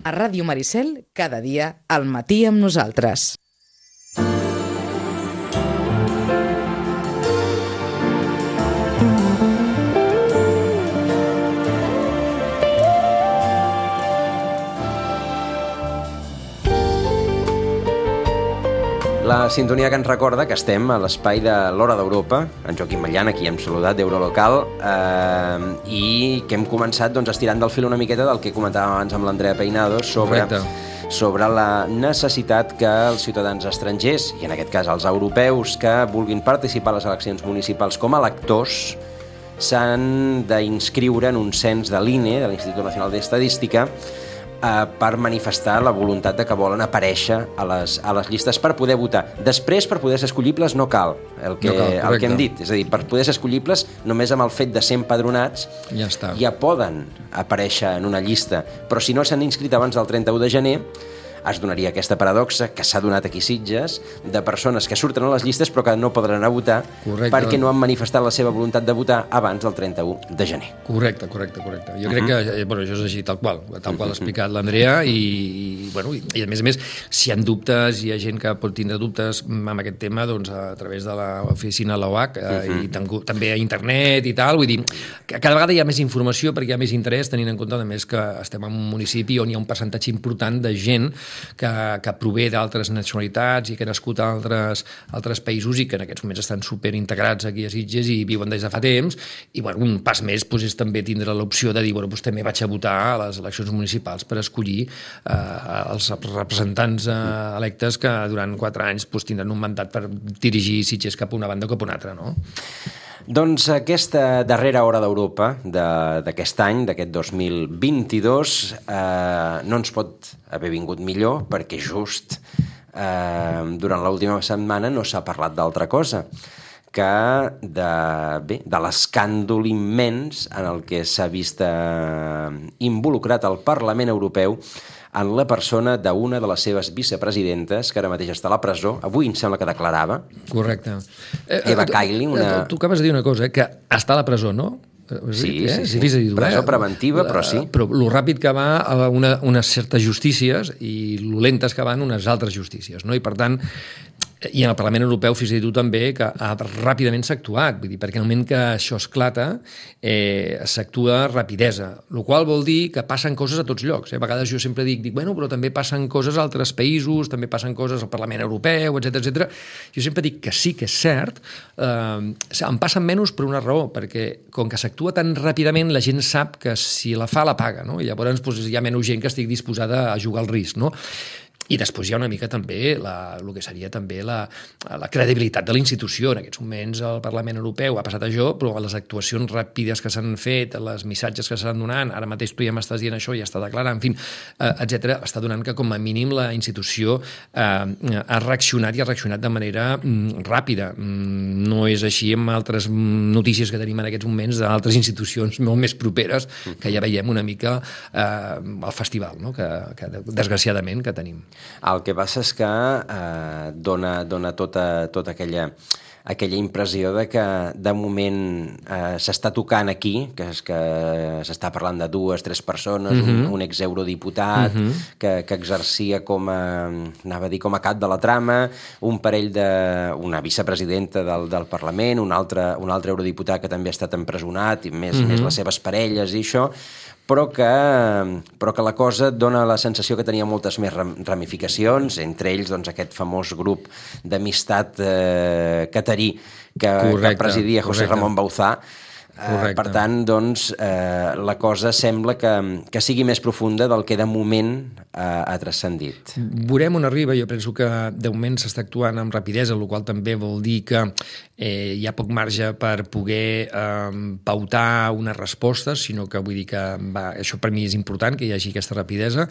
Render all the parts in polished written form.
A Ràdio Maricel, cada dia, al matí amb nosaltres. La sintonia que ens recorda que estem a l'espai de l'Hora d'Europa, en Joaquim Matllana, qui hem saludat d'Eurolocal, i que hem començat estirant del fil una miqueta del que comentàvem abans amb l'Andrea Peinado sobre la necessitat que els ciutadans estrangers, i en aquest cas els europeus, que vulguin participar a les eleccions municipals com a electors, s'han d'inscriure en un cens de l'INE, de l'Institut Nacional d'Estadística, per manifestar la voluntat de que volen aparèixer a les llistes per poder votar. Després, per poder ser escollibles, no cal el que hem dit. És a dir, per poder ser escollibles, només amb el fet de ser empadronats ja poden aparèixer en una llista. Però si no s'han inscrit abans del 31 de gener, es donaria aquesta paradoxa que s'ha donat aquí a Sitges de persones que surten a les llistes però que no podran anar a votar perquè no han manifestat la seva voluntat de votar abans del 31 de gener. Correcte. Jo crec que això és així, tal qual ha explicat l'Andrea i a més, si hi ha dubtes, hi ha gent que pot tindre dubtes amb aquest tema, doncs a través de l'oficina de l'OAC i també a internet i tal, vull dir, que cada vegada hi ha més informació perquè hi ha més interès, tenint en compte a més que estem en un municipi on hi ha un percentatge important de gent que prové d'altres nacionalitats i que ha nascut a altres països i que en aquests moments estan superintegrats aquí a Sitges i viuen des de fa temps i un pas més és també tindre l'opció de dir, també vaig a votar a les eleccions municipals per escollir els representants electes que durant 4 anys tindran un mandat per dirigir Sitges cap a una banda o cap a una altra, no? Doncs aquesta darrera Hora d'Europa d'aquest any, d'aquest 2022, no ens pot haver vingut millor perquè just durant l'última setmana no s'ha parlat d'altra cosa que de l'escàndol immens en el que s'ha vist involucrat el Parlament Europeu en la persona d'una de les seves vicepresidentes, que ara mateix està a la presó. Avui em sembla que declarava. Correcte. Eva Kaili. Tu acabes de dir una cosa, que està a la presó, no? Sí. Presó preventiva, però sí. Però lo ràpid que va a unes certes justícies i lo lentes que van unes altres justícies, no? I per tant, i en el Parlament Europeu, fins i tot també, que ràpidament s'ha actuat, vull dir, perquè en el moment que això esclata s'actua rapidesa, el qual vol dir que passen coses a tots llocs. A vegades jo sempre dic, però també passen coses a altres països, també passen coses al Parlament Europeu, etc. Jo sempre dic que sí que és cert, em passen menys per una raó, perquè com que s'actua tan ràpidament, la gent sap que si la fa, la paga, no? I llavors hi ha menys gent que estigui disposada a jugar al risc, no? I després hi ha una mica també el que seria també la credibilitat de la institució. En aquests moments el Parlament Europeu ha passat això, però les actuacions ràpides que s'han fet, els missatges que s'estan donant, ara mateix tu ja m'estàs dient això, ja està declarant, en fi, etc., està donant que com a mínim la institució ha reaccionat i ha reaccionat de manera ràpida. No és així amb altres notícies que tenim en aquests moments d'altres institucions molt més properes que ja veiem una mica el festival, no? que desgraciadament que tenim. El que passa és que dona tota aquella impressió de que de moment s'està tocant aquí, que és que s'està parlant de 2-3 persones, un exeurodiputat que exercia com a cap de la trama, un parell una vicepresidenta del Parlament, un altre eurodiputat que també ha estat empresonat, i més les seves parelles i això, però que la cosa dona la sensació que tenia moltes més ramificacions, entre ells aquest famós grup d'amistat catarí que presidia José Ramon Bauzá. Per tant, la cosa sembla que sigui més profunda del que de moment ha transcendit. Veurem on arriba. Jo penso que de moment s'està actuant amb rapidesa, el qual també vol dir que hi ha poc marge per poder pautar unes respostes, sinó que vull dir que això per mi és important, que hi hagi aquesta rapidesa.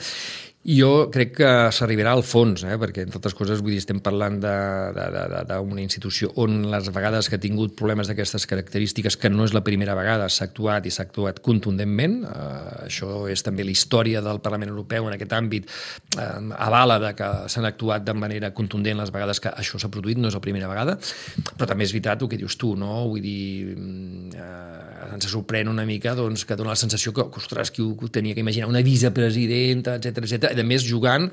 Jo crec que s'arribarà al fons, perquè, entre altres coses, vull dir, estem parlant d'una institució on les vegades que ha tingut problemes d'aquestes característiques, que no és la primera vegada, s'ha actuat i s'ha actuat contundentment. Això és també la història del Parlament Europeu en aquest àmbit, àmbit avala de que s'han actuat de manera contundent les vegades que això s'ha produït, no és la primera vegada, però també és veritat el que dius tu, no? Vull dir, ens sorprèn una mica doncs, que dona la sensació que ostres, qui ho tenia que imaginar, una vicepresidenta, etc. A més, jugant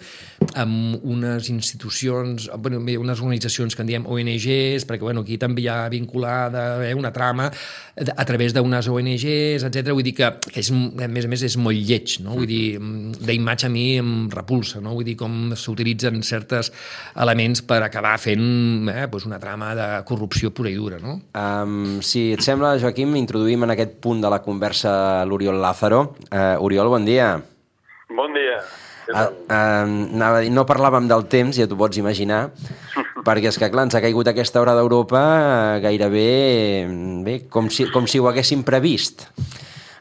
amb unes institucions, unes organitzacions que en diem ONGs, perquè aquí també hi ha vinculada una trama a través d'unes ONGs, etc. Vull dir que és, a més, és molt lleig, no? Vull dir, d'imatge a mi em repulsa, no? Vull dir, com s'utilitzen certs elements per acabar fent una trama de corrupció pura i dura, no? Si et sembla, Joaquim, introduïm en aquest punt de la conversa l'Oriol Lázaro. Oriol, bon dia. Bon dia. Anava a dir, no parlàvem del temps, ja t'ho pots imaginar, perquè és que, clar, ens ha caigut aquesta hora d'Europa gairebé com si ho haguéssim previst.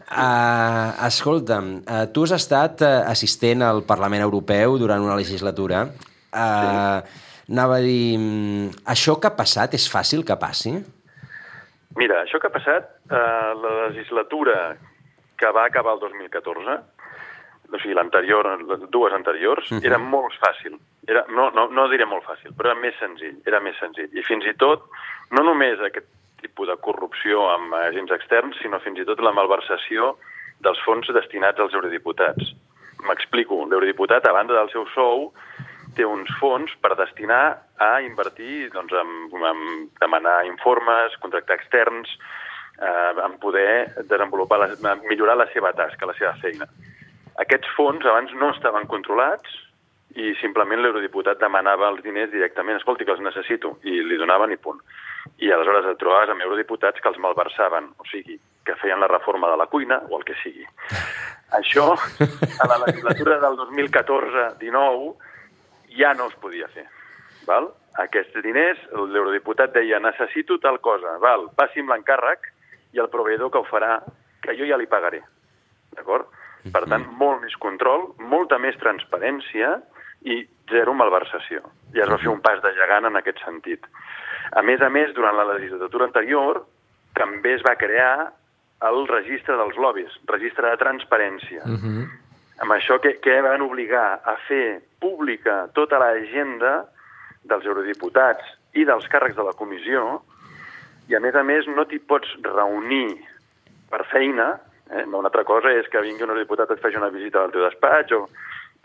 Escolta'm, tu has estat assistent al Parlament Europeu durant una legislatura. Anava a dir, això que ha passat és fàcil que passi? Mira, això que ha passat, la legislatura que va acabar el 2014, o sigui, les dues anteriors, era molt fàcil. No diré molt fàcil, però era més senzill. I fins i tot, no només aquest tipus de corrupció amb agents externs, sinó fins i tot la malversació dels fons destinats als eurodiputats. M'explico. L'eurodiputat, a banda del seu sou, té uns fons per destinar a invertir, doncs, en demanar informes, contractar externs, en poder millorar la seva tasca, la seva feina. Aquests fons abans no estaven controlats i simplement l'eurodiputat demanava els diners directament. Escolti, que els necessito. I li donaven i punt. I aleshores et trobaves amb eurodiputats que els malversaven, o sigui, que feien la reforma de la cuina o el que sigui. Això, a la legislatura del 2014-19, ja no es podia fer. Val? Aquests diners, l'eurodiputat deia, necessito tal cosa, val, passi'm l'encàrrec i el proveïdor que ho farà, que jo ja li pagaré. D'acord? Per tant, molt més control, molta més transparència i zero malversació. I es va fer un pas de gegant en aquest sentit. A més, durant la legislatura anterior, també es va crear el registre dels lobbies, registre de transparència. Amb això que van obligar a fer pública tota l'agenda dels eurodiputats i dels càrrecs de la comissió, i a més no t'hi pots reunir per feina. Una altra cosa és que vingui un eurodiputat et faci una visita al teu despatx,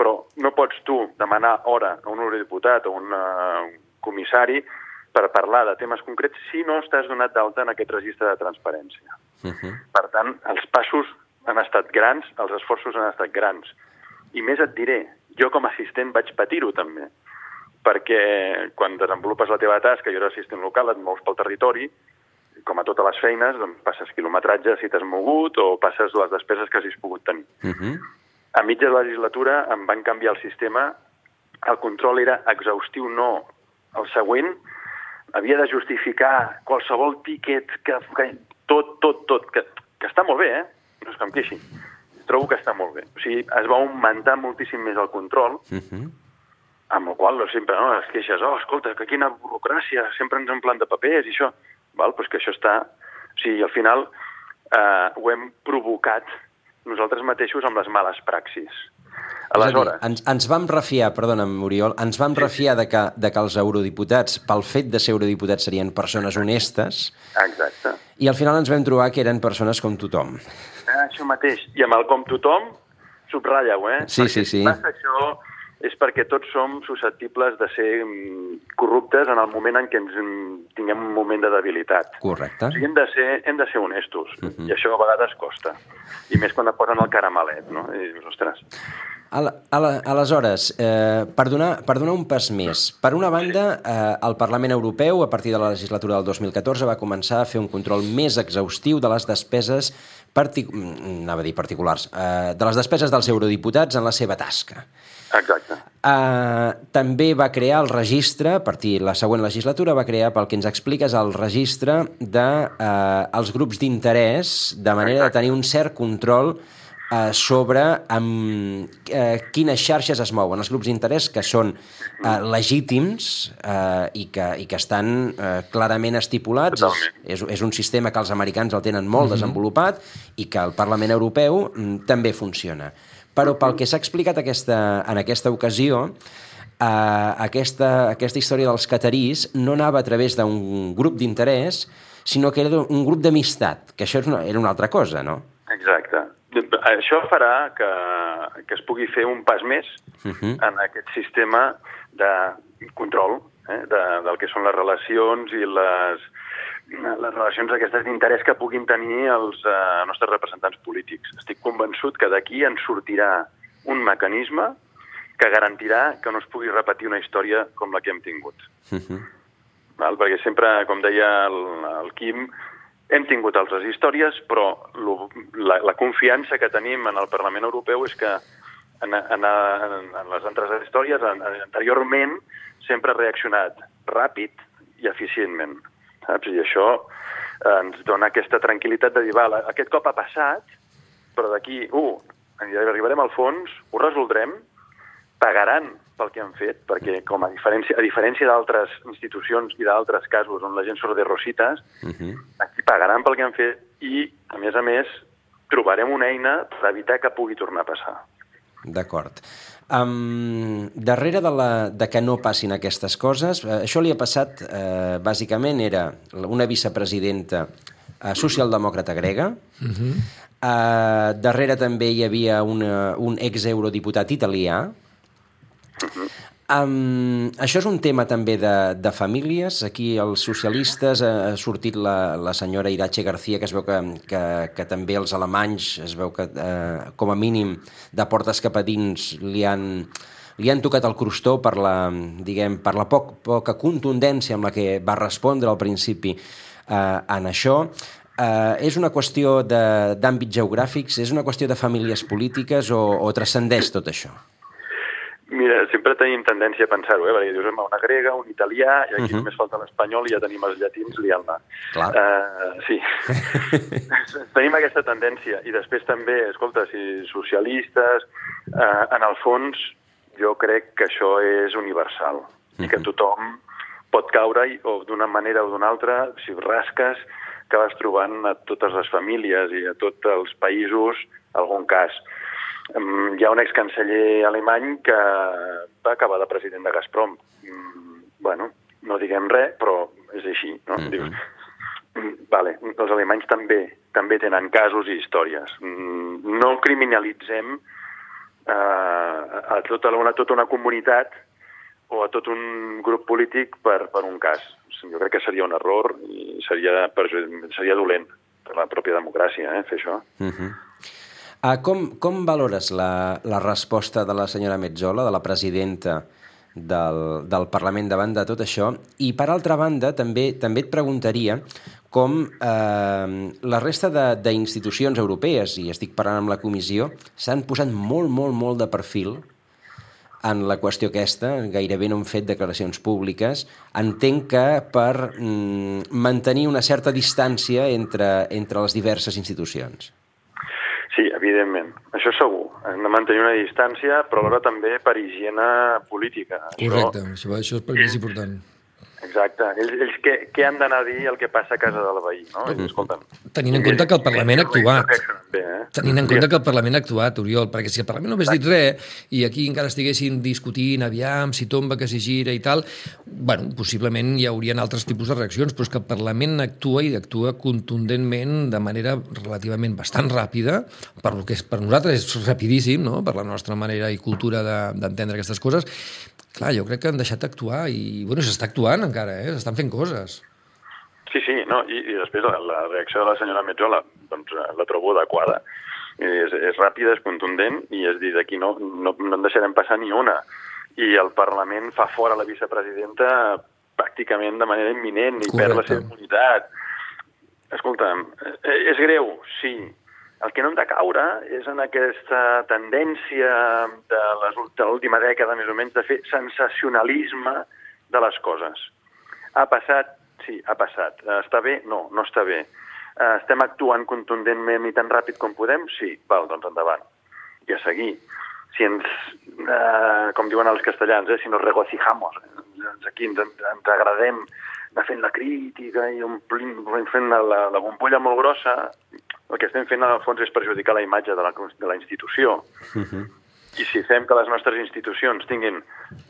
però no pots tu demanar hora a un eurodiputat o un comissari per parlar de temes concrets si no estàs donat d'alta en aquest registre de transparència. Per tant, els passos han estat grans, els esforços han estat grans. I més et diré, jo com a assistent vaig patir-ho també, perquè quan desenvolupes la teva tasca, jo era assistent local, et mous pel territori, com a totes les feines, doncs passes quilometratge si t'has mogut o passes les despeses que hagis pogut tenir. A mitja legislatura em van canviar el sistema, el control era exhaustiu, no. El següent havia de justificar qualsevol tíquet, tot, que està molt bé, no és que em queixi. Trobo que està molt bé. O sigui, es va augmentar moltíssim més el control, amb el qual sempre es queixes, escolta, que quina burocràcia, sempre ens emplen de papers i això. Val? Pues que això està... O sigui, al final ho hem provocat nosaltres mateixos amb les males praxis. Aleshores... Ens vam refiar, perdona'm, Oriol, ens vam refiar de que els eurodiputats, pel fet de ser eurodiputats, serien persones honestes. Exacte. I al final ens vam trobar que eren persones com tothom. Això mateix. I amb el com tothom, subratlla-ho, Sí. Perquè això és perquè tots som susceptibles de ser corruptes en el moment en què ens tinguem un moment de debilitat. Correcte. O sigui, hem de ser honestos, i això a vegades costa. I més quan et posen el caramelet, no? I dius, ostres... Aleshores, per donar un pas més, per una banda, el Parlament Europeu, a partir de la legislatura del 2014, va començar a fer un control més exhaustiu de les despeses particulars, de les despeses dels eurodiputats en la seva tasca. Exacte. També va crear el registre, a partir de la següent legislatura, va crear, pel que ens expliques, el registre dels grups d'interès, de manera de tenir un cert control sobre quines xarxes es mouen. Els grups d'interès que són legítims i que estan clarament estipulats. És un sistema que els americans el tenen molt desenvolupat i que el Parlament Europeu també funciona. Però pel que s'ha explicat en aquesta ocasió, aquesta història dels catarís no anava a través d'un grup d'interès, sinó que era un grup d'amistat, que això era una altra cosa, no? Exacte. Això farà que es pugui fer un pas més en aquest sistema de control del que són les relacions i les relacions aquestes d'interès que puguin tenir els nostres representants polítics. Estic convençut que d'aquí en sortirà un mecanisme que garantirà que no es pugui repetir una història com la que hem tingut. Perquè sempre, com deia el Quim, hem tingut altres històries, però la confiança que tenim en el Parlament Europeu és que en les altres històries, anteriorment, sempre ha reaccionat ràpid i eficientment. Saps? I això ens dona aquesta tranquil·litat de dir, aquest cop ha passat, però d'aquí, arribarem al fons, ho resoldrem, pagaran pel que han fet, perquè a diferència d'altres institucions i d'altres casos on la gent surt de rositas, aquí pagaran pel que han fet i, a més, trobarem una eina per evitar que pugui tornar a passar. D'acord. Darrere de que no passin aquestes coses, això li ha passat, bàsicament, era una vicepresidenta socialdemòcrata grega, darrere també hi havia un ex-eurodiputat italià. Això és un tema també de famílies. Aquí els socialistes ha sortit la senyora Iratxe García, que es veu que també els alemanys es veu que com a mínim de portes cap a dins li han tocat el crostó per la poca contundència amb la que va respondre al principi en això. És una qüestió d'àmbits geogràfics, és una qüestió de famílies polítiques o transcendeix tot això? Mira, sempre tenim tendència a pensar-ho, perquè dius, una grega, un italià, i aquí només falta l'espanyol i ja tenim els llatins liant-la. Sí. Tenim aquesta tendència. I després també, escolta, si socialistes, en el fons, jo crec que això és universal. I que tothom pot caure, o d'una manera o d'una altra, si rasques, que vas trobant a totes les famílies i a tots els països algun cas. Hi ha un excanceller alemany que va acabar de president de Gazprom. No diguem res, però és així, no? Dius, els alemanys també tenen casos i històries. No criminalitzem a tota una comunitat o a tot un grup polític per un cas. Jo crec que seria un error i seria dolent per la pròpia democràcia, fer això. Com valores la resposta de la senyora Metsola, de la presidenta del Parlament davant de tot això? I, per altra banda, també et preguntaria com la resta d'institucions europees, i estic parlant amb la Comissió, s'han posat molt de perfil en la qüestió aquesta, gairebé no han fet declaracions públiques. Entenc que per mantenir una certa distància entre les diverses institucions. Sí, evidentment. Això segur. Hem de mantenir una distància, però alhora també per higiene política. Correcte, això és important. Exacte. Ells què han d'anar a dir el que passa a casa del veí, no? Escolta'm. Tenint en compte que el Parlament ha actuat. Tenint en compte que el Parlament ha actuat, Oriol, perquè si el Parlament no hagués dit res i aquí encara estiguessin discutint, aviam, si tomba, que si gira i tal, possiblement hi haurien altres tipus de reaccions, però és que el Parlament actua i actua contundentment de manera relativament bastant ràpida, per lo que per nosaltres és rapidíssim, no? Per la nostra manera i cultura d'entendre aquestes coses. Clar, jo crec que han deixat d'actuar i, s'està actuant encara, s'estan fent coses. Sí, no, i després la reacció de la senyora Metsola, doncs la trobo adequada. És ràpida, és contundent, i és dir, d'aquí no en deixarem passar ni una. I el Parlament fa fora la vicepresidenta pràcticament de manera imminent i perd la seva immunitat. Escolta'm, és greu, sí. El que no hem de caure és en aquesta tendència de l'última dècada, més o menys, de fer sensacionalisme de les coses. Ha passat? Sí, ha passat. Està bé? No està bé. Estem actuant contundentment i tan ràpid com podem? Sí, doncs endavant. I a seguir. Si com diuen els castellans, si nos regocijamos, aquí ens agradem anar fent la crítica i fent la bombolla molt grossa, el que estem fent en el fons és perjudicar la imatge de la institució. I si fem que les nostres institucions tinguin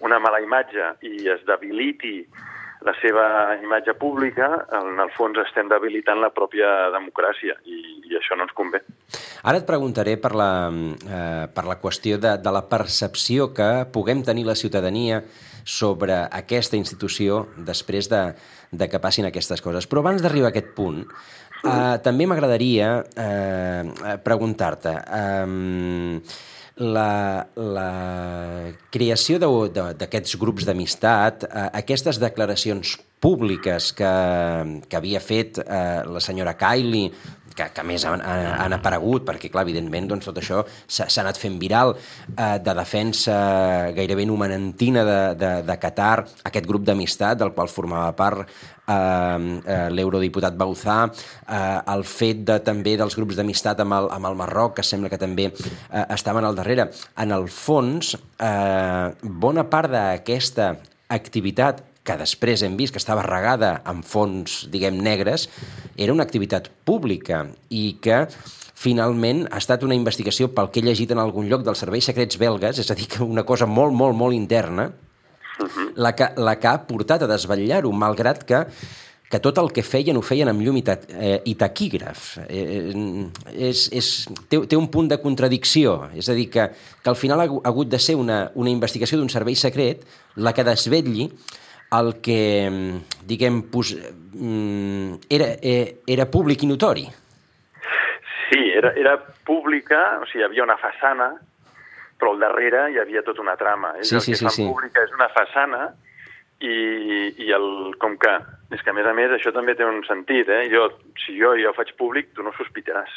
una mala imatge i es debiliti la seva imatge pública, en el fons estem debilitant la pròpia democràcia i això no ens convé. Ara et preguntaré per la qüestió de la percepció que puguem tenir la ciutadania sobre aquesta institució després de que passin aquestes coses. Però abans d'arribar a aquest punt, també m'agradaria preguntar-te... La creació d'aquests grups d'amistat, aquestes declaracions públiques que havia fet la senyora Kaili, que a més han aparegut, perquè, clar, evidentment, doncs, tot això s'ha anat fent viral, de defensa gairebé numanentina de Qatar, aquest grup d'amistat del qual formava part l'eurodiputat Bauzá, el fet també dels grups d'amistat amb el Marroc, que sembla que també estaven al darrere. En el fons, bona part d'aquesta activitat que després hem vist que estava regada amb fons, diguem, negres, era una activitat pública i que finalment ha estat una investigació, pel que he llegit en algun lloc, dels serveis secrets belgues, és a dir, que una cosa molt, molt, molt interna, la que ha portat a desvetllar-ho, malgrat que tot el que feien ho feien amb llum i taquígraf. Té un punt de contradicció, és a dir, que al final ha hagut de ser una investigació d'un servei secret la que desvetlli el que, diguem, era públic i notori. Sí, era pública, o sigui, hi havia una façana, però al darrere hi havia tota una trama. El que fan pública és una façana i com que, és que a més això també té un sentit, si jo faig públic, tu no sospitaràs.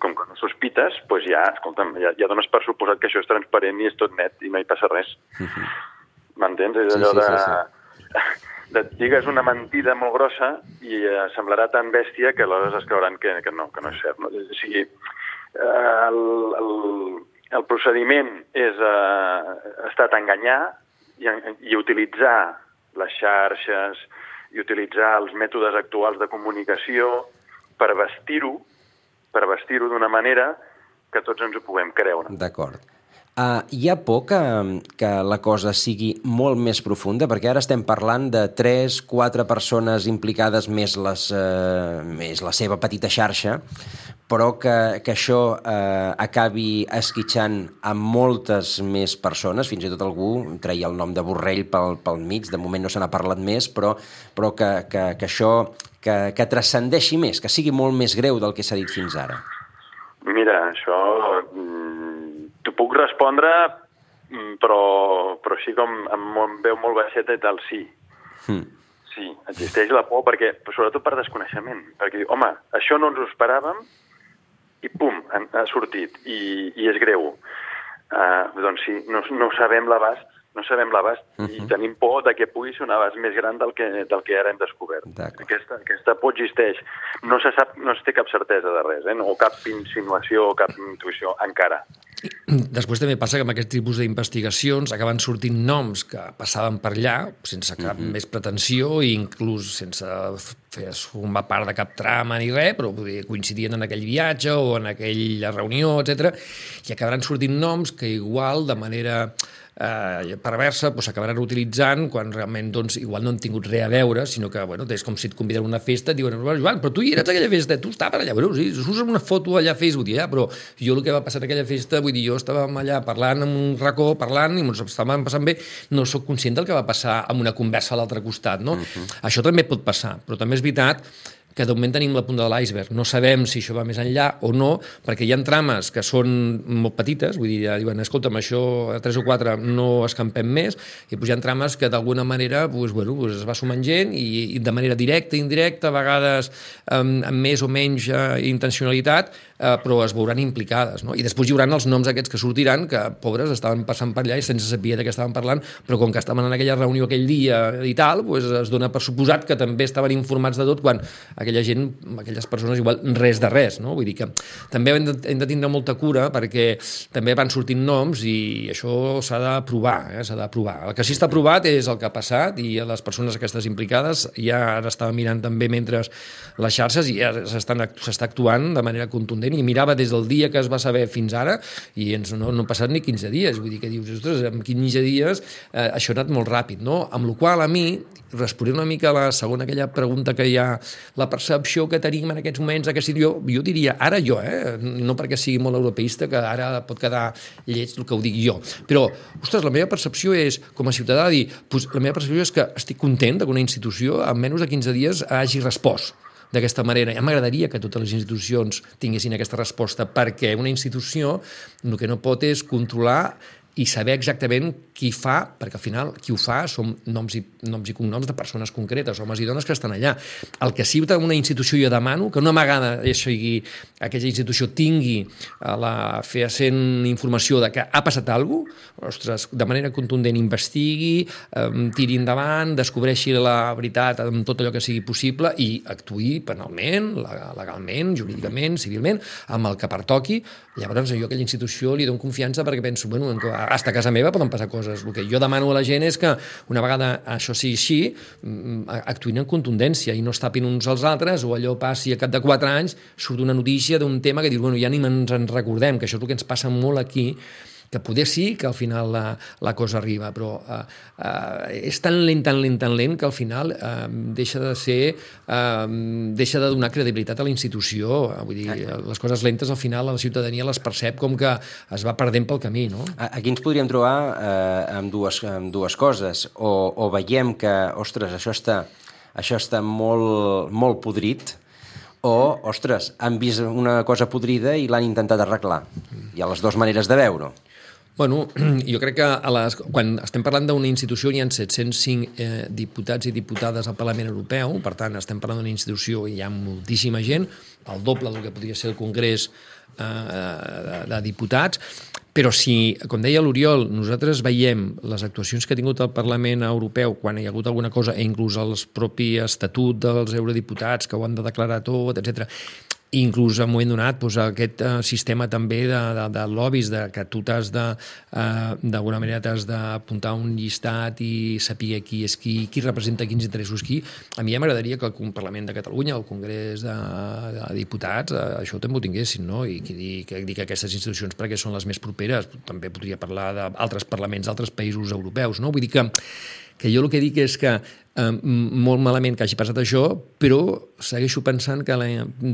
Com que no sospites, doncs escolta'm, ja dones per suposat que això és transparent i és tot net i no hi passa res. M'entens? És allò et digues una mentida molt grossa i semblarà tan bèstia que aleshores es creuran que no és cert. O sigui, el procediment ha estat enganyar i utilitzar les xarxes i utilitzar els mètodes actuals de comunicació per vestir-ho d'una manera que tots ens ho puguem creure. D'acord. Hi ha por que la cosa sigui molt més profunda? Perquè ara estem parlant de 3-4 persones implicades més la seva petita xarxa, però que això acabi esquitxant amb moltes més persones, fins i tot algú treia el nom de Borrell pel mig, de moment no se n'ha parlat més, però que això que transcendeixi més, que sigui molt més greu del que s'ha dit fins ara. Mira, això t'ho puc respondre, però així com em veu molt baixeta i tal, sí. Sí, existeix la por, sobretot per desconeixement. Perquè diu, home, això no ens ho esperàvem i pum, ha sortit i és greu. Doncs sí, no sabem l'abast, i tenim por que pugui ser un abast més gran del que ara hem descobert. Aquesta por existeix. No se sap, no es té cap certesa de res, o cap insinuació o cap intuïció encara. Després també passa que amb aquest tipus d'investigacions acaben sortint noms que passaven per allà sense cap més pretensió i inclús sense formar part de cap trama ni res, però coincidien en aquell viatge o en aquella reunió, etc. I acabaran sortint noms que igual de manera perversa s'acabaran utilitzant quan realment igual no han tingut res a veure, sinó que és com si et conviden a una festa et diuen, Joan, però tu hi eres a aquella festa, tu estaves allà, sí, surts una foto allà a Facebook, però jo el que va passar a aquella festa, vull dir, jo estàvem allà parlant en un racó, parlant i ens estàvem passant bé, no sóc conscient del que va passar amb una conversa a l'altre costat, no? Això també pot passar, però també és veritat que de moment tenim la punta de l'iceberg. No sabem si això va més enllà o no, perquè hi ha trames que són molt petites, vull dir, ja diuen, escolta'm, això a 3 o 4 no escampem més, i hi ha trames que d'alguna manera es va sumant gent i de manera directa, indirecta, a vegades amb més o menys intencionalitat, però es veuran implicades, no? I després hi haurà els noms aquests que sortiran, que, pobres, estaven passant per allà i sense saber de què estaven parlant, però com que estaven en aquella reunió aquell dia i tal, doncs es dona per suposat que també estaven informats de tot, quan aquella gent, aquelles persones, igual res de res, no? Vull dir que també hem de tindre molta cura, perquè també van sortint noms i això s'ha de provar, s'ha de provar. El que sí està provat és el que ha passat, i les persones aquestes implicades ja ara estaven mirant també mentre les xarxes i ja s'està actuant de manera contundent, i mirava des del dia que es va saber fins ara i no han passat ni 15 dies, vull dir que dius, ostres, en 15 dies això ha anat molt ràpid, no? Amb la qual a mi, responent una mica a la segona aquella pregunta que hi ha, la percepció que tenim en aquests moments, jo diria, ara jo, no perquè sigui molt europeista, que ara pot quedar lleig el que ho dic jo, però, ostres, la meva percepció és, com a ciutadà, dir, la meva percepció és que estic content que una institució en menys de 15 dies hagi respost d'aquesta manera. Ja m'agradaria que totes les institucions tinguessin aquesta resposta, perquè una institució el que no pot és controlar i saber exactament qui fa, perquè al final qui ho fa són noms i cognoms de persones concretes, homes i dones que estan allà. El que sí que una institució jo demano, que una vegada aquella institució tingui la fehaent informació de que ha passat alguna cosa, ostres, de manera contundent investigui, tiri endavant, descobreixi la veritat amb tot allò que sigui possible i actuï penalment, legalment, jurídicament, civilment, amb el que pertoqui. Llavors jo a aquella institució li dono confiança, perquè penso, bueno, hasta a casa meva poden passar coses. El que jo demano a la gent és que una vegada això sigui així, actuïn en contundència i no es tapin uns als altres, o allò passi a cap de 4 anys, surt una notícia d'un tema que dius, bueno, ja ni ens en recordem, que això és el que ens passa molt aquí, que poder sí que al final la cosa arriba, però és tan lent que al final deixa de donar credibilitat a la institució. Vull dir, les coses lentes al final la ciutadania les percep com que es va perdent pel camí, no? Aquí ens podríem trobar amb dues coses. O veiem que, ostres, això està molt, molt podrit, o, ostres, han vist una cosa podrida i l'han intentat arreglar. Hi ha les dues maneres de veure-ho. Bueno, jo crec que quan estem parlant d'una institució hi ha 705 diputats i diputades al Parlament Europeu, per tant estem parlant d'una institució i hi ha moltíssima gent, el doble del que podria ser el Congrés de diputats, però si, com deia l'Oriol, nosaltres veiem les actuacions que ha tingut el Parlament Europeu quan hi ha hagut alguna cosa, inclús el propi estatut dels eurodiputats que ho han de declarar tot, etc., inclús en un moment donat aquest sistema també de lobbies, que tu d'alguna manera t'has d'apuntar un llistat i saber qui és qui representa quins interessos qui. A mi ja m'agradaria que el Parlament de Catalunya, el Congrés de Diputats, això també ho tinguessin, no? I que dir que aquestes institucions, perquè són les més properes, també podria parlar d'altres parlaments d'altres països europeus, no? Vull dir que jo el que dic és que molt malament que hagi passat això, però segueixo pensant que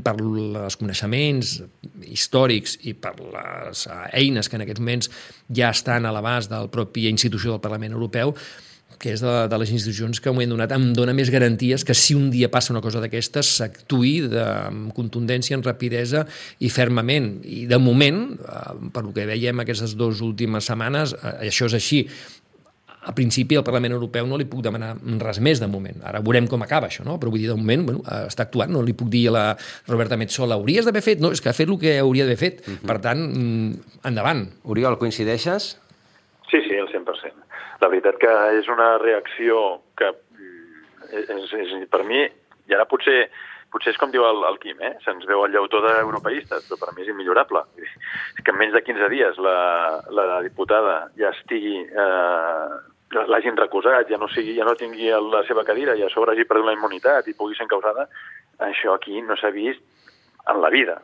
per els coneixements històrics i per les eines que en aquests moments ja estan a l'abast de la pròpia institució del Parlament Europeu, que és de les institucions que m'ho han donat, em dona més garanties que si un dia passa una cosa d'aquestes s'actuï amb contundència, amb rapidesa i fermament. I de moment, per el que veiem aquestes 2 últimes setmanes, això és així. A principi al Parlament Europeu no li puc demanar res més de moment. Ara veurem com acaba això, no? Però vull dir, de moment, està actuant, no li puc dir a la Roberta Metsola, hauries d'haver fet, no, és que ha fet el que hauria d'haver fet. Per tant, endavant. Oriol, coincideixes? Sí, al 100%. La veritat que és una reacció que és per mi, i ara potser és com diu el Quim, se'ns veu el llautó d'europeistes, però per mi és immillorable. És que en menys de 15 dies la diputada ja estigui... l'hagin recusat, ja no tingui la seva cadira i a sobre hagi perdut la immunitat i pugui ser encausada, això aquí no s'ha vist en la vida.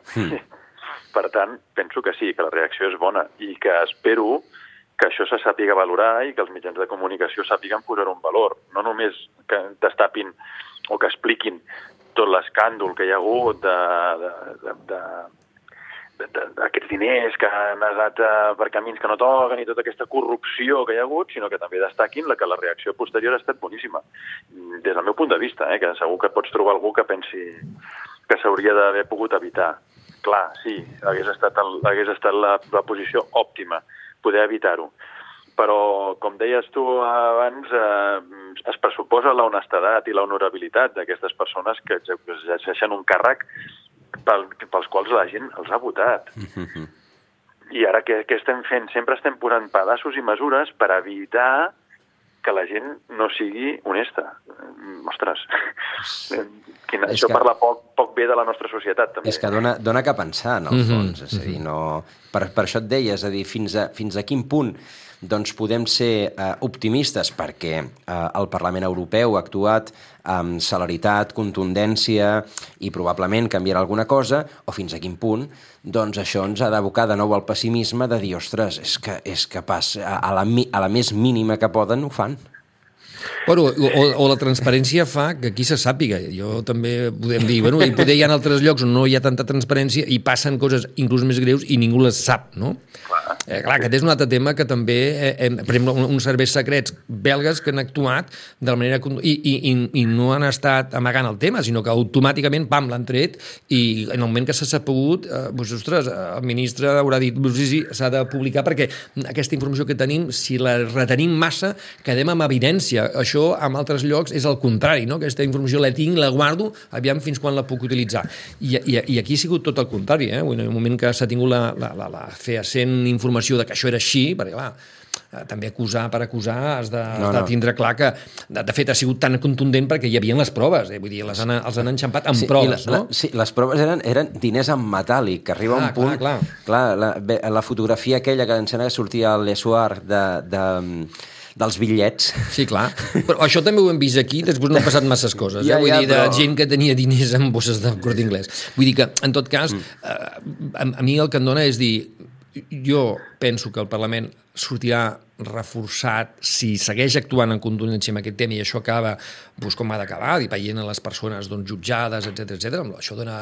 Per tant, penso que sí, que la reacció és bona i que espero que això se sàpiga valorar i que els mitjans de comunicació sàpiguen posar-ho en valor. No només que destapin o que expliquin tot l'escàndol que hi ha hagut d'aquests diners que han anat per camins que no toquen i tota aquesta corrupció que hi ha hagut, sinó que també destaquin que la reacció posterior ha estat boníssima. Des del meu punt de vista, que segur que pots trobar algú que pensi que s'hauria d'haver pogut evitar. Clar, sí, hagués estat la posició òptima, poder evitar-ho. Però, com deies tu abans, es pressuposa l'honestedat i l'honorabilitat d'aquestes persones que exerceixen un càrrec pels quals la gent els ha votat. I ara què estem fent? Sempre estem posant pedaços i mesures per evitar que la gent no sigui honesta. Ostres, això parla poc bé de la nostra societat, també. És que dona que pensar, en el fons. És a dir, per això et deia, és a dir, fins a quin punt doncs podem ser optimistes perquè el Parlament Europeu ha actuat amb celeritat, contundència i probablement canviarà alguna cosa, o fins a quin punt doncs això ens ha d'abocar de nou al pessimisme de dir, ostres, és que a la més mínima que poden ho fan. Bueno, o la transparència fa que aquí se sàpiga. Jo també podem dir, bueno, i poder hi ha altres llocs on no hi ha tanta transparència i passen coses inclús més greus i ningú les sap, no? Clar, aquest és un altre tema que també, per exemple, uns serveis secrets belgues que han actuat de la manera... I no han estat amagant el tema, sinó que automàticament, pam, l'han tret i en el moment que s'ha sapigut, doncs, ostres, el ministre haurà dit, sí, s'ha de publicar perquè aquesta informació que tenim, si la retenim massa, quedem amb evidència. Això, en altres llocs, és el contrari, no? Aquesta informació la tinc, la guardo, aviam fins quan la puc utilitzar. I aquí ha sigut tot el contrari, eh? En el moment que s'ha tingut la fehaent informació de que això era així, perquè, clar, també acusar per acusar has de tindre clar que, de fet, ha sigut tan contundent perquè hi havia les proves, vull dir, els han enxampat amb proves, no? Sí, les proves eren diners en metàl·lic, que arriba un punt... Clar, la fotografia aquella que em sembla que sortia a l'Essoir dels bitllets. Sí, clar. Però això també ho hem vist aquí, després no han passat masses coses. Vull dir, de gent que tenia diners en bosses de Corte Inglés. Vull dir que, en tot cas, a mi el que em dona és dir, jo penso que el Parlament sortirà reforçat si segueix actuant en contundència amb aquest tema i això acaba com ha d'acabar, veient a les persones jutjades, etc. Això dona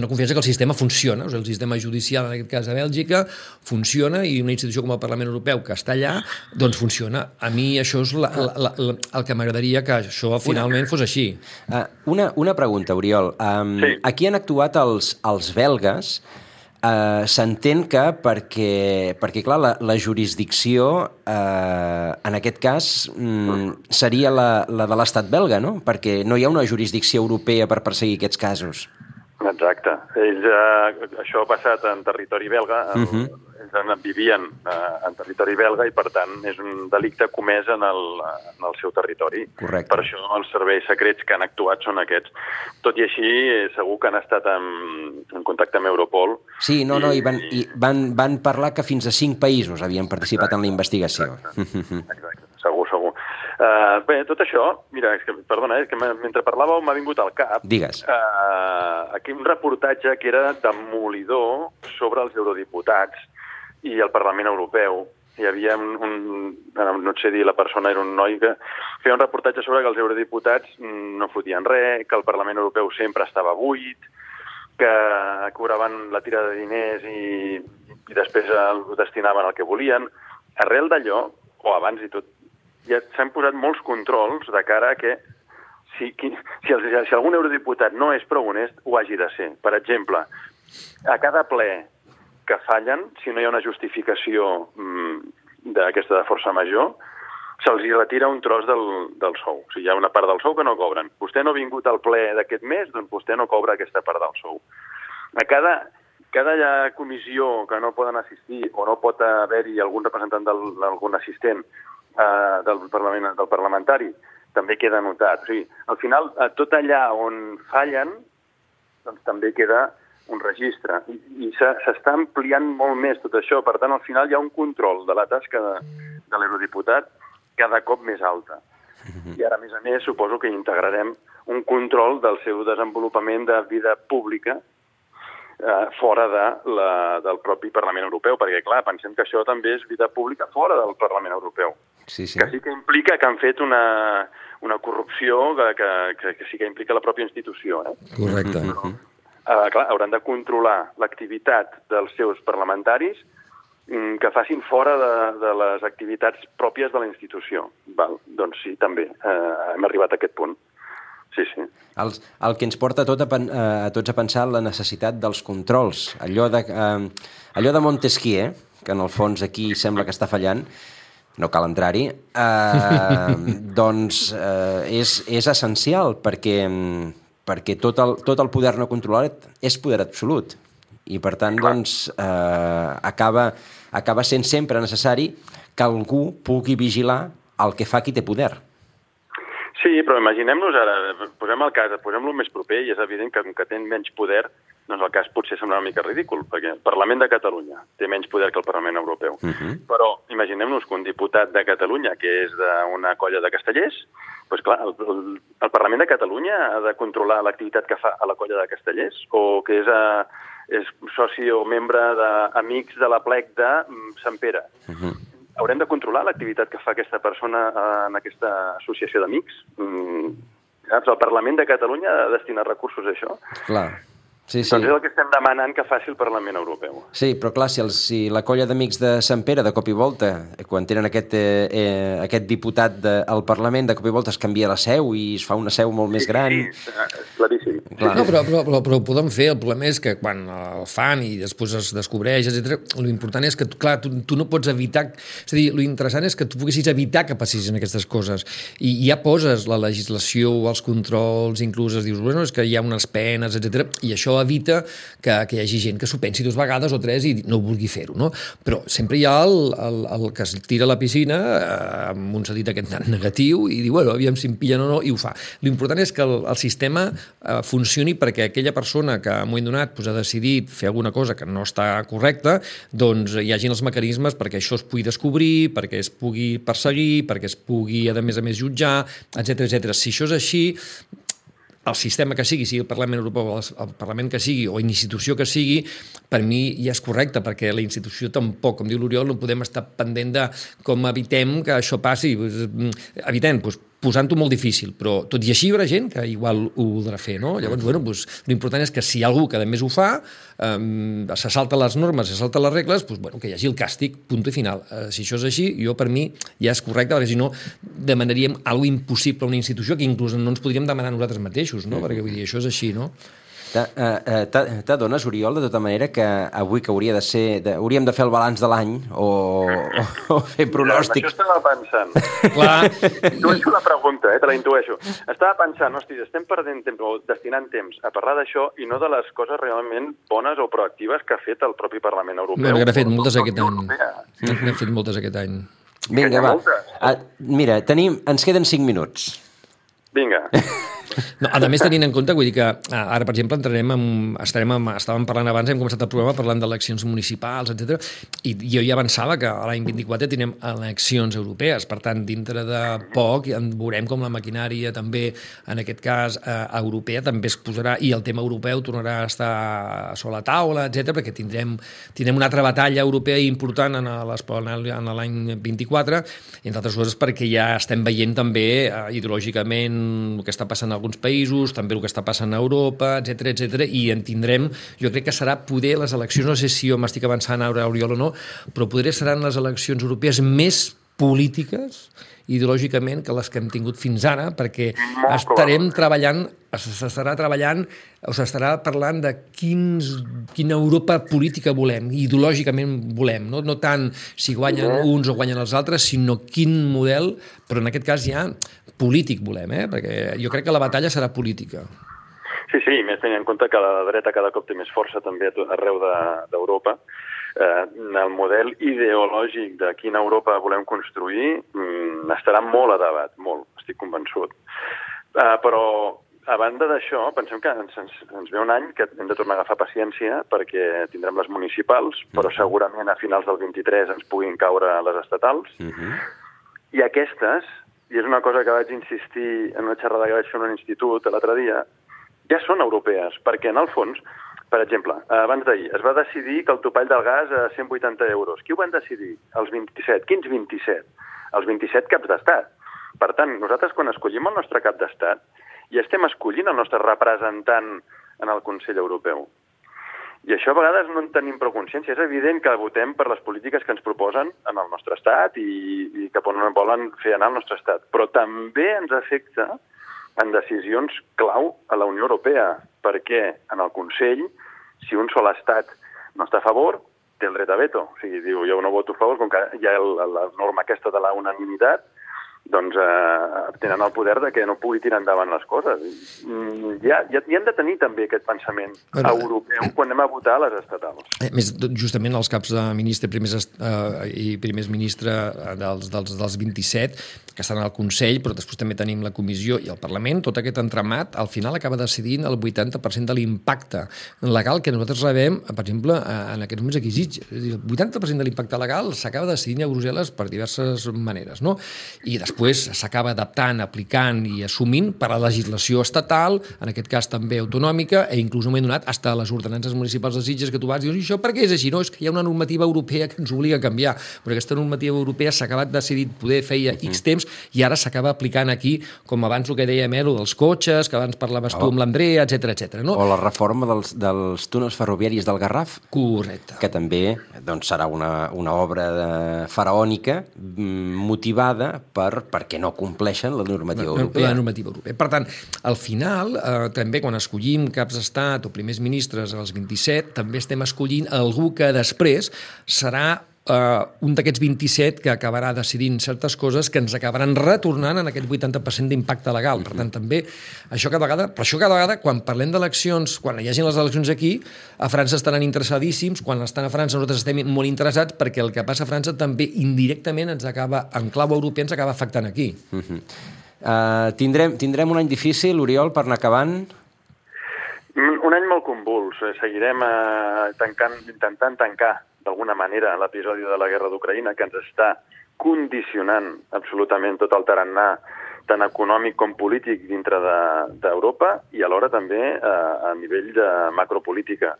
confiança que el sistema funciona, el sistema judicial, en aquest cas a Bèlgica, funciona i una institució com el Parlament Europeu que està allà, doncs funciona. A mi això és el que m'agradaria que això finalment fos així. Una pregunta, Oriol. Aquí han actuat els belgues. S'entén que perquè clar, la jurisdicció en aquest cas seria la de l'estat belga, no? Perquè no hi ha una jurisdicció europea per perseguir aquests casos. Exacte. Ells, això ha passat en territori belga, ells vivien en territori belga i, per tant, és un delicte comès en el seu territori. Correcte. Per això els serveis secrets que han actuat són aquests. Tot i així, segur que han estat en contacte amb Europol. Sí, i van parlar que fins a 5 països havien participat en la investigació. Exacte. Segur. Bé, tot això, mira, perdona, és que mentre parlàveu m'ha vingut al cap. Digues. Aquí un reportatge que era demolidor sobre els eurodiputats i el Parlament Europeu. Hi havia no sé dir la persona, era un noi que feia un reportatge sobre que els eurodiputats no fotien res, que el Parlament Europeu sempre estava buit, que cobraven la tira de diners i després el destinaven al que volien. Arrel d'allò, o abans i tot, ja s'han posat molts controls de cara a que si algun eurodiputat no és prou honest, ho hagi de ser. Per exemple, a cada ple que fallen, si no hi ha una justificació d'aquesta de força major, se'ls retira un tros del sou. O sigui, hi ha una part del sou que no cobren. Vostè no ha vingut al ple d'aquest mes, doncs vostè no cobra aquesta part del sou. A cada comissió que no poden assistir o no pot haver-hi algun representant d'algun assistent del parlamentari, també queda anotat. O sigui, al final, tot allà on fallen, doncs també queda un registre. I s'està ampliant molt més tot això. Per tant, al final hi ha un control de la tasca de l'eurodiputat cada cop més alta. I ara, a més, suposo que integrarem un control del seu desenvolupament de vida pública fora del propi Parlament Europeu, perquè, clar, pensem que això també és vida pública fora del Parlament Europeu. Sí. Que sí que implica que han fet una corrupció que sí que implica la pròpia institució. Correcte. Clar, hauran de controlar l'activitat dels seus parlamentaris que facin fora de les activitats pròpies de la institució. Doncs sí, també, hem arribat a aquest punt. Sí. El que ens porta a tots a pensar la necessitat dels controls. Allò de Montesquieu, que en el fons aquí sembla que està fallant, no cal entrar-hi, doncs és essencial perquè perquè tot el poder no controlat és poder absolut. I, per tant, doncs, acaba sent sempre necessari que algú pugui vigilar el que fa qui té poder. Sí, però imaginem-nos ara, posem-lo més proper, i és evident que com que té menys poder, doncs el cas potser sembla una mica ridícul, perquè el Parlament de Catalunya té menys poder que el Parlament Europeu. Però imaginem-nos que un diputat de Catalunya, que és d'una colla de castellers, doncs clar, el Parlament de Catalunya ha de controlar l'activitat que fa a la colla de castellers, o que és soci o membre d'amics de la plec de Sant Pere. Haurem de controlar l'activitat que fa aquesta persona en aquesta associació d'amics? El Parlament de Catalunya ha de destinar recursos a això? Clar. Sí. Doncs és el que estem demanant que faci el Parlament Europeu. Sí, però clar, si la colla d'amics de Sant Pere, de cop i volta, quan tenen aquest diputat al Parlament, de cop i volta es canvia la seu i es fa una seu molt més gran... Sí, claríssim. No, però ho podem fer. El problema és que quan el fan i després es descobreix, etc., l'important és que, clar, tu no pots evitar... És a dir, l'interessant és que tu poguessis evitar que passessin aquestes coses. I ja poses la legislació, els controls, inclús es dius, bueno, és que hi ha unes penes, etc., i això evita que hi hagi gent que s'ho pensi 2 vegades o 3 i no vulgui fer-ho, no? Però sempre hi ha el que es tira a la piscina amb un sentit aquest negatiu i diu, bueno, aviam si em pillen o no, i ho fa. L'important és que el sistema funcioni perquè aquella persona que en un moment donat ha decidit fer alguna cosa que no està correcta, doncs hi hagin els mecanismes perquè això es pugui descobrir, perquè es pugui perseguir, perquè es pugui, a més, jutjar, etc. Si això és així, el sistema que sigui el Parlament Europeu, el Parlament que sigui o institució que sigui, per mi ja és correcte, perquè la institució tampoc, com diu l'Oriol, no podem estar pendent de com evitem que això passi. Evitem, posant-ho molt difícil, però tot i així hi haurà gent que igual ho voldrà fer, no? Llavors, bueno, l'important és que si hi ha algú que a més ho fa, se salta les normes, se salta les regles, bueno, que hi hagi el càstig, punt i final. Si això és així, per mi ja és correcte, perquè si no demanaríem alguna cosa impossible a una institució que inclús no ens podríem demanar nosaltres mateixos, no? Perquè vull dir, això és així, no? T'adones, Oriol, de tota manera, que avui que hauria de ser... hauríem de fer el balanç de l'any o fer pronòstics? Això estava pensant. Clar. Intueixo la pregunta, te la intueixo. Estava pensant, hosti, estem perdent temps o destinant temps a parlar d'això i no de les coses realment bones o proactives que ha fet el propi Parlament Europeu. No, n'ha fet moltes aquest any. N'ha fet moltes aquest any. Vinga, va. Mira, ens queden 5 minuts. Vinga. No, a més, tenint en compte, vull dir que ara, per exemple, estàvem parlant abans, hem començat el programa parlant d'eleccions municipals, etc. I jo ja avançava que l'any 24 tindrem eleccions europees, per tant, dintre de poc veurem com la maquinària també, en aquest cas, europea, també es posarà, i el tema europeu tornarà a estar sobre la taula, etc, perquè tindrem una altra batalla europea important en l'any 24, entre altres coses perquè ja estem veient també ideològicament el que està passant a alguns països, també el que està passant a Europa, etc, i en tindrem, jo crec que serà poder les eleccions, no sé si jo m'estic avançant ara, Oriol, o no, però poder seran les eleccions europees més polítiques ideològicament que les que hem tingut fins ara, perquè s'estarà parlant de quina Europa política volem, ideològicament volem, no tant si guanyen uns o guanyen els altres, sinó quin model, però en aquest cas ja polític volem, perquè jo crec que la batalla serà política. Sí, més tenint en compte que la dreta cada cop té més força també arreu d'Europa. El model ideològic de quina Europa volem construir estarà molt a debat, molt, estic convençut. Però, a banda d'això, pensem que ens ve un any que hem de tornar a agafar paciència perquè tindrem les municipals, però segurament a finals del 23 ens puguin caure les estatals. I aquestes, i és una cosa que vaig insistir en una xerrada que vaig fer en un institut l'altre dia, ja són europees, perquè en el fons, per exemple, abans d'ahir es va decidir que el topall del gas a 180 euros. Qui ho van decidir? Els 27. Quins 27? Els 27 caps d'estat. Per tant, nosaltres quan escollim el nostre cap d'estat ja estem escollint el nostre representant en el Consell Europeu. I això a vegades no en tenim prou consciència. És evident que votem per les polítiques que ens proposen en el nostre estat i cap on volen fer anar el nostre estat. Però també ens afecta en decisions clau a la Unió Europea, perquè en el Consell, si un sol estat no està a favor, té el dret a veto. O sigui, diu, jo no voto a favor, com que hi ha la norma aquesta de la unanimitat, doncs tenen el poder de que no pugui tirar endavant les coses. Ja hem de tenir també aquest pensament europeu quan anem a votar a les estatals. Més, justament els caps de ministre i primers ministres dels 27, que estan al Consell, però després també tenim la Comissió i el Parlament, tot aquest entramat, al final acaba decidint el 80% de l'impacte legal que nosaltres rebem, per exemple, en aquests moments aquí a Sitges. El 80% de l'impacte legal s'acaba decidint a Brussel·les per diverses maneres, no? I després s'acaba adaptant, aplicant i assumint per a la legislació estatal, en aquest cas també autonòmica, i inclús m'he donat fins a les ordenances municipals de Sitges que tu vas dir, i això per què és així? No, és que hi ha una normativa europea que ens obliga a canviar, però aquesta normativa europea s'ha acabat decidint poder feia X temps i ara s'acaba aplicant aquí, com abans el que dèiem, dels cotxes, que abans parlaves tu amb l'Andrea, etc. No? O la reforma dels túnels ferroviaris del Garraf. Correcte. Que també doncs, serà una obra faraònica motivada perquè no compleixen la normativa europea. La normativa europea. Per tant, al final, també quan escollim caps d'estat o primers ministres als 27, també estem escollint algú que després serà un d'aquests 27 que acabarà decidint certes coses que ens acabaran retornant en aquest 80% d'impacte legal. Per tant, també, cada vegada, quan parlem d'eleccions, quan hi hagi les eleccions aquí, a França estaran interessadíssims, quan estan a França nosaltres estem molt interessats perquè el que passa a França també indirectament ens acaba, en clau europea, ens acaba afectant aquí. Tindrem un any difícil, Oriol, per anar acabant? Un any molt convuls. Seguirem intentant tancar d'alguna manera l'episodi de la guerra d'Ucraïna que ens està condicionant absolutament tot el tarannà tant econòmic com polític dintre d'Europa i alhora també a nivell de macropolítica.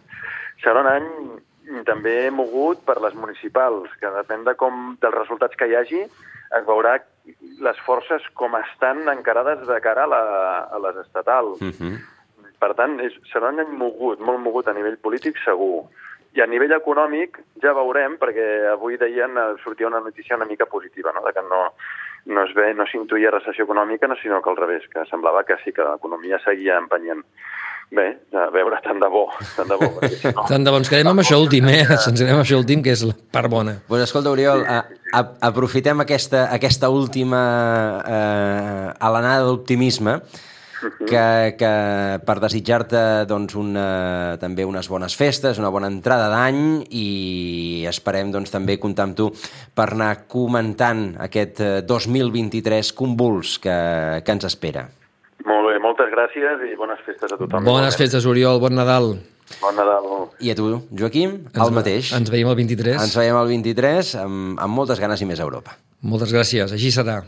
Serà un any també mogut per les municipals, que depèn dels resultats que hi hagi, es veurà les forces com estan encarades de cara a les estatals. Per tant, serà un any mogut, molt mogut a nivell polític segur. I a nivell econòmic ja veurem, perquè avui sortia una notícia una mica positiva, no? De que no s'intuïa recessió econòmica, sinó que al revés, que semblava que sí, que l'economia seguia empenyent. Bé, a veure, tant de bo. Tant de bo, ens quedem amb això últim, Ens quedem amb això últim, que és la part bona. Doncs escolta, Oriol, aprofitem aquesta última alenada d'optimisme que per desitjar-te doncs, també unes bones festes, una bona entrada d'any i esperem doncs, també comptar amb tu per anar comentant aquest 2023 convuls que ens espera. Molt bé, moltes gràcies i bones festes a tothom. Bones festes, Oriol, bon Nadal. Bon Nadal. I a tu, Joaquim, el mateix. Ens veiem el 23. Ens veiem el 23 amb moltes ganes i més a Europa. Moltes gràcies, així serà.